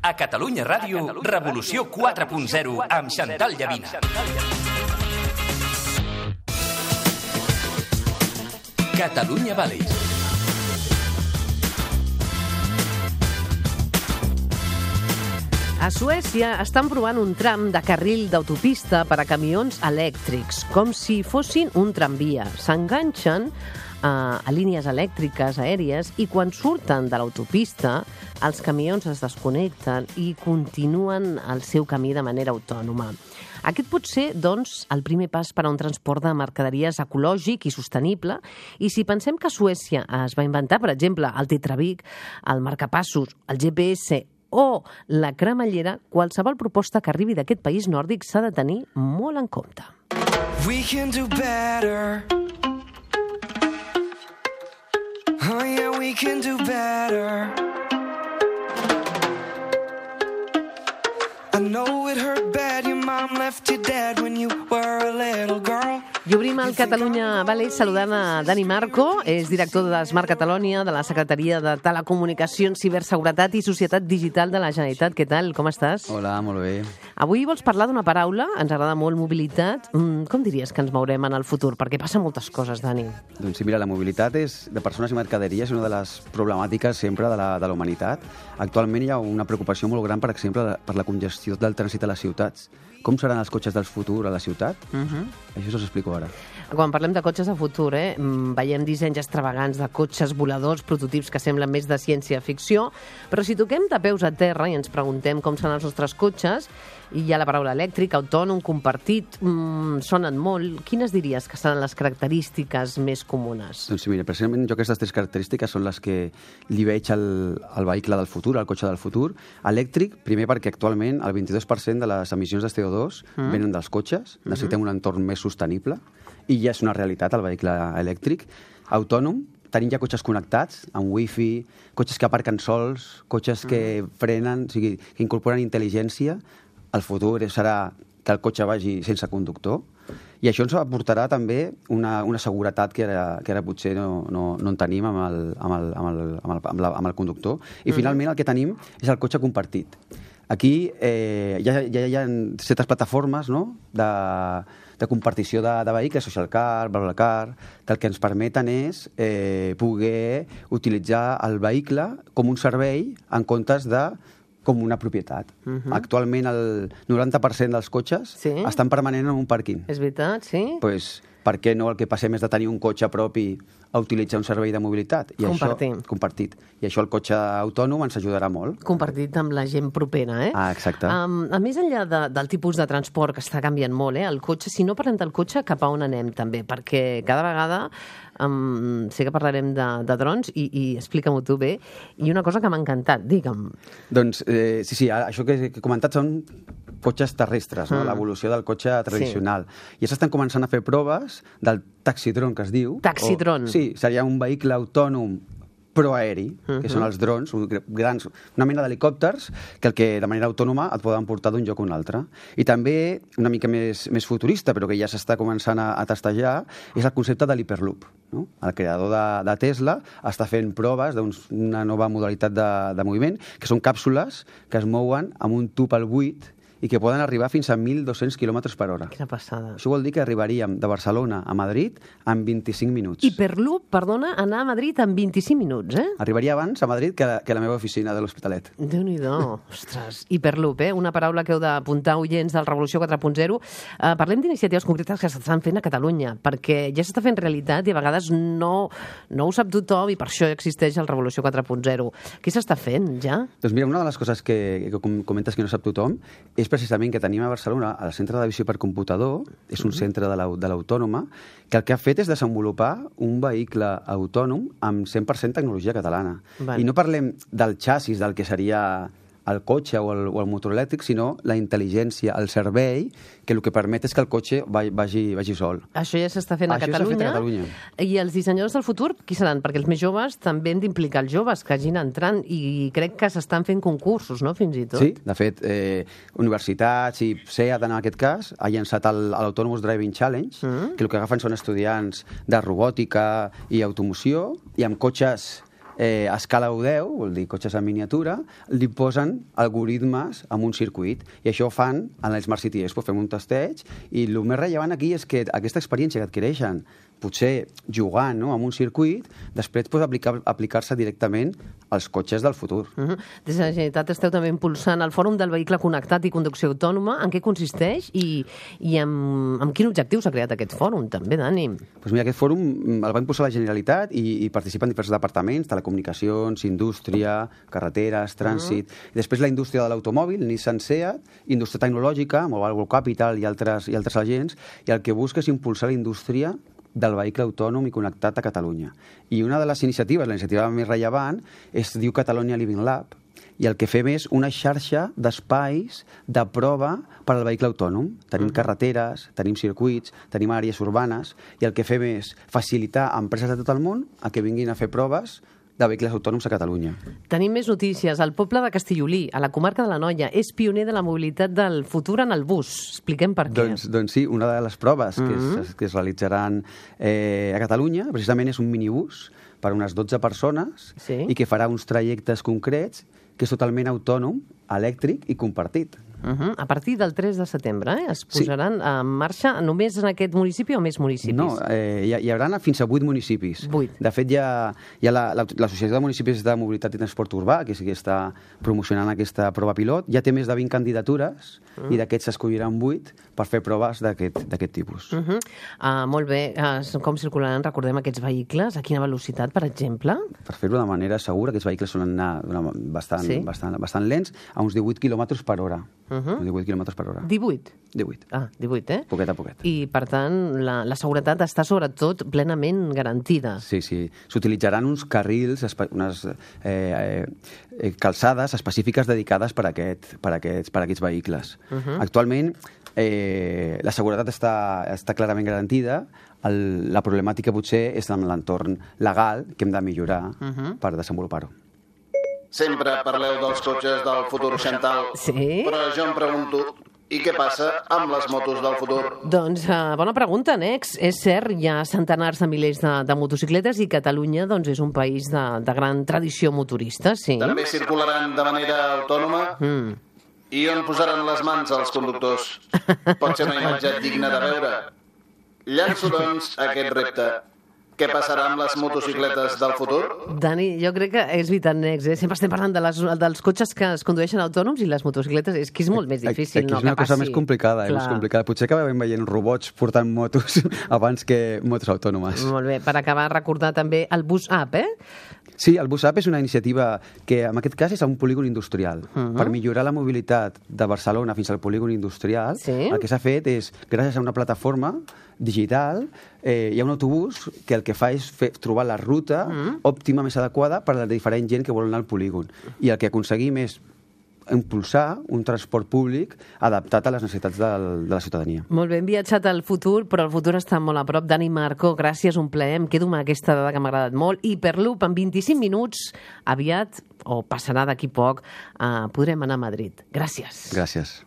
A Catalunya Ràdio, Revolució 4.0 amb Xantal Llavina. Catalunya Valleys. A Suècia estan provant un tram de carril d'autopista per a camions elèctrics, com si fossin un tramvia. S'enganxen a línies elèctriques aèries i quan surten de l'autopista els camions es desconnecten i continuen el seu camí de manera autònoma. Aquest pot ser, doncs, el primer pas per a un transport de mercaderies ecològic i sostenible, i si pensem que a Suècia es va inventar, per exemple, el Tetrabric, el marcapassos, el GPS o la cremallera, qualsevol proposta que arribi d'aquest país nòrdic s'ha de tenir molt en compte. We can do better. Oh yeah, we can do better. I know it hurt bad, your mom left you dead when you were a little girl. I obrim el Catalunya Valleys saludant a Dani Marco, és director de Smart Catalonia, de la Secretaria de Telecomunicacions, Ciberseguretat i Societat Digital de la Generalitat. Què tal? Com estàs? Hola, molt bé. Avui vols parlar d'una paraula, ens agrada molt mobilitat. Com diries que ens mourem en el futur? Perquè passen moltes coses, Dani. Doncs sí, mira, la mobilitat de persones i mercaderies és una de les problemàtiques sempre de la humanitat. Actualment hi ha una preocupació molt gran, per exemple, per la congestió del trànsit a les ciutats. Com seran els cotxes del futur a la ciutat? Això us explico ara. Quan parlem de cotxes de futur, veiem dissenys extravagants de cotxes voladors, prototips que semblen més de ciència-ficció, però si toquem de peus a terra i ens preguntem com seran els nostres cotxes, i hi ha la paraula elèctric, autònom, compartit, sonen molt. Quines diries que seran les característiques més comunes? Doncs mira, precisament jo aquestes tres característiques són les que li veig al vehicle del futur, al cotxe del futur. Elèctric, primer perquè actualment el 22% de les emissions de CO2 venen dels cotxes, necessitem un entorn més sostenible, i ja és una realitat el vehicle elèctric. Autònom, tenim ja cotxes connectats, amb wifi, cotxes que aparquen sols, cotxes que frenen, o sigui, que incorporen intel·ligència. El futur serà que el cotxe vagi sense conductor, i això ens aportarà també una seguretat que ara potser no en tenim amb el conductor. I finalment el que tenim és el cotxe compartit. Aquí ja hi ha certes plataformes, no?, de compartició de vehicles, Social Car, BlaBlaCar, que el que ens permeten és poder utilitzar el vehicle com un servei en comptes de com una propietat. Actualment el 90% dels cotxes estan permanent en un pàrquing. És veritat, sí? Doncs per què no el que passem és de tenir un cotxe propi a utilitzar un servei de mobilitat? Compartit. I això el cotxe autònom ens ajudarà molt. Compartit amb la gent propera, eh? Ah, exacte. A més enllà del tipus de transport que està canviant molt, el cotxe, si no parlem del cotxe, cap a on anem també? Perquè cada vegada sé que parlarem de drons i explica-m'ho tu bé. I una cosa que m'ha encantat, digue'm. Doncs sí, això que he comentat són cotxes terrestres, no? L'evolució del cotxe tradicional. Ja s'estan començant a fer proves del taxidron, que es diu. Taxidron. Sí, seria un vehicle autònom però aeri, que són els drons, grans, una mena d'helicòpters que de manera autònoma et poden portar d'un lloc a un altre. I també, una mica més futurista, però que ja s'està començant a testejar, és el concepte de l'Hyperloop. No? El creador de Tesla està fent proves d'una nova modalitat de moviment, que són càpsules que es mouen amb un tub al buit i que poden arribar fins a 1.200 km per hora. Quina passada. Això vol dir que arribaríem de Barcelona a Madrid en 25 minuts. Hyperloop, perdona, anar a Madrid en 25 minuts, eh? Arribaria abans a Madrid que la meva oficina de l'Hospitalet. Déu-n'hi-do. Ostres, Hyperloop, una paraula que heu d'apuntar, oients del Revolució 4.0. Parlem d'iniciatives concretes que s'estan fent a Catalunya, perquè ja s'està fent realitat i a vegades no ho sap tothom i per això existeix el Revolució 4.0. Què s'està fent, ja? Doncs mira, una de les coses que comentes que no sap tothom és precisament que tenim a Barcelona el Centre de Visió per Computador, és un centre de l'Autònoma, que el que ha fet és desenvolupar un vehicle autònom amb 100% tecnologia catalana. I no parlem del xassis, del que seria el cotxe o el motor elèctric, sinó la intel·ligència, el servei, que el que permet és que el cotxe vagi sol. Això ja s'està fent a Catalunya. I els dissenyadors del futur, qui seran? Perquè els més joves també hem d'implicar els joves que hagin entrant i crec que s'estan fent concursos, no?, fins i tot. Sí, de fet, universitats i SEAT, en aquest cas, ha llançat l'Autonomous Driving Challenge, que el que agafen són estudiants de robòtica i automoció, i amb cotxes a escala 10, vol dir cotxes en miniatura, li posen algoritmes amb un circuit. I això ho fan en el Smart City Expo, fem un testeig, i el més rellevant aquí és que aquesta experiència que adquireixen, potser jugant, no?, amb un circuit, després pot aplicar-se directament als cotxes del futur. Des de la Generalitat esteu també impulsant el Fòrum del Vehicle Connectat i Conducció Autònoma. En què consisteix i amb quin objectiu s'ha creat aquest fòrum, també, Dani? Doncs mira, aquest fòrum el va impulsar la Generalitat i participen diversos departaments, telecomunicacions, indústria, carreteres, trànsit... I després la indústria de l'automòbil, Nissan, Seat, indústria tecnològica, Mobile World Capital i altres agents, i el que busca és impulsar la indústria del vehicle autònom i connectat a Catalunya. I una de les iniciatives, la iniciativa més rellevant, es diu Catalonia Living Lab, i el que fem és una xarxa d'espais de prova per al vehicle autònom. Tenim carreteres, tenim circuits, tenim àrees urbanes, i el que fem és facilitar a empreses de tot el món a que vinguin a fer proves de vehicles autònoms a Catalunya. Tenim més notícies. El poble de Castellolí, a la comarca de l'Anoia, és pioner de la mobilitat del futur en el bus. Expliquem per què. Doncs sí, una de les proves que es realitzaran a Catalunya precisament és un minibús per unes 12 persones i que farà uns trajectes concrets que és totalment autònom, elèctric i compartit. A partir del 3 de setembre es posaran en marxa només en aquest municipi o més municipis? No, hi haurà fins a 8 municipis. 8. De fet, hi ha l'Associació de Municipis de Mobilitat i Transport Urbà, que sí que està promocionant aquesta prova pilot. Ja té més de 20 candidatures i d'aquests s'escolliran 8 per fer proves d'aquest tipus. Molt bé. Com circularan, recordem, aquests vehicles? A quina velocitat, per exemple? Per fer-ho de manera segura, aquests vehicles solen anar bastant lents, a uns 18 km per hora. 18 km per hora. 18? 18. Ah, 18, eh? Poquet a poquet. I, per tant, la seguretat està sobretot plenament garantida. Sí. S'utilitzaran uns carrils, unes calçades específiques dedicades per a aquests vehicles. Actualment, la seguretat està clarament garantida. La problemàtica potser és en l'entorn legal que hem de millorar per desenvolupar-ho. Sempre parleu dels cotxes del futur, Chantal. Sí? Però jo em pregunto, i què passa amb les motos del futur? Doncs bona pregunta, Nex. És cert, hi ha centenars de milers de motocicletes i Catalunya doncs, és un país de gran tradició motorista, sí. També circularan de manera autònoma? I on posaran les mans els conductors? Pot ser una imatge digna de veure? Llanço, doncs, aquest repte. Què passarà amb les motocicletes del futur? Dani, jo crec que és vital, Nex. Sempre estem parlant dels cotxes que es condueixen autònoms i les motocicletes. És que és molt més difícil, no? És una cosa més complicada, més complicada. Potser acabem veient robots portant motos abans que motos autònomes. Molt bé. Per acabar, recordar també el Bus Up, Sí, el Bus Up és una iniciativa que, en aquest cas, és a un polígon industrial. Per millorar la mobilitat de Barcelona fins al polígon industrial, el que s'ha fet és, gràcies a una plataforma digital, hi ha un autobús que el que fa és trobar la ruta òptima més adequada per a la diferent gent que vol anar al polígon. I el que aconseguim és impulsar un transport públic adaptat a les necessitats de la ciutadania. Molt bé, hem viatjat al futur, però el futur està molt a prop. Dani Marco, gràcies, un plaer. Em quedo amb aquesta dada que m'ha agradat molt. Hyperloop, en 25 minuts, aviat, o passarà d'aquí poc, podrem anar a Madrid. Gràcies. Gràcies.